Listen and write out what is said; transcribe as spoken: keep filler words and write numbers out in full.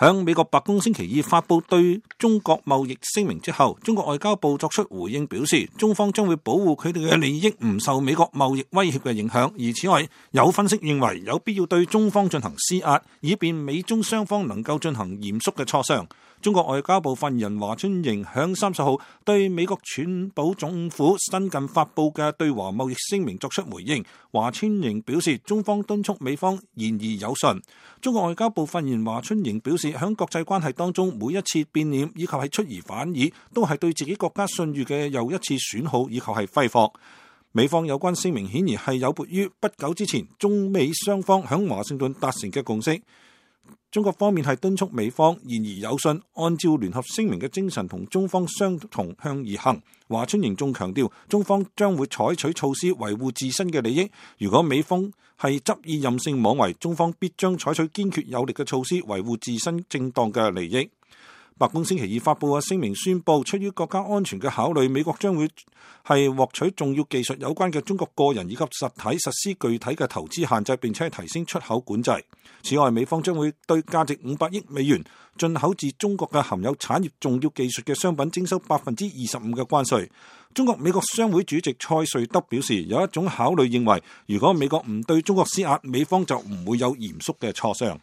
響美國白宮星期二發布對中國貿易聲明之後，中國外交部作出回應表示，中方將會保護佢哋嘅利益唔受美國貿易威脅嘅影響。而此外，有分析認為有必要對中方進行施壓，以便美中雙方能夠進行嚴肅嘅磋商。中國外交部發言人華春瑩響三十號對美國川普總府新近發布嘅對華貿易聲明作出回應。華春瑩表示，中方敦促美方言而有信。中國外交部發言人華春瑩表示，響國際關係當中，每一次變臉以及係出爾反爾，都係對自己國家信譽嘅又一次損耗以及係揮霍。美方有關聲明顯然係有悖於不久之前中美雙方響華盛頓達成嘅共識。中國方面係敦促美方言而有信，按照聯合聲明嘅精神同中方相同向而行。華春瑩仲強調，中方將會採取措施維護自身嘅利益。如果美方係執意任性妄為，中方必將採取堅決有力嘅措施維護自身正當嘅利益。白宮星期二發布嘅聲明宣布，出於國家安全嘅考慮，美國將會係獲取重要技術有關嘅中國個人以及實體實施具體嘅投資限制，並且提升出口管制。此外，美方將會對價值五百億美元進口自中國嘅含有產業重要技術嘅商品徵收百分之二十五嘅關稅。中國美國商會主席蔡瑞德表示，有一種考慮認為，如果美國唔對中國施壓，美方就唔會有嚴肅嘅磋商。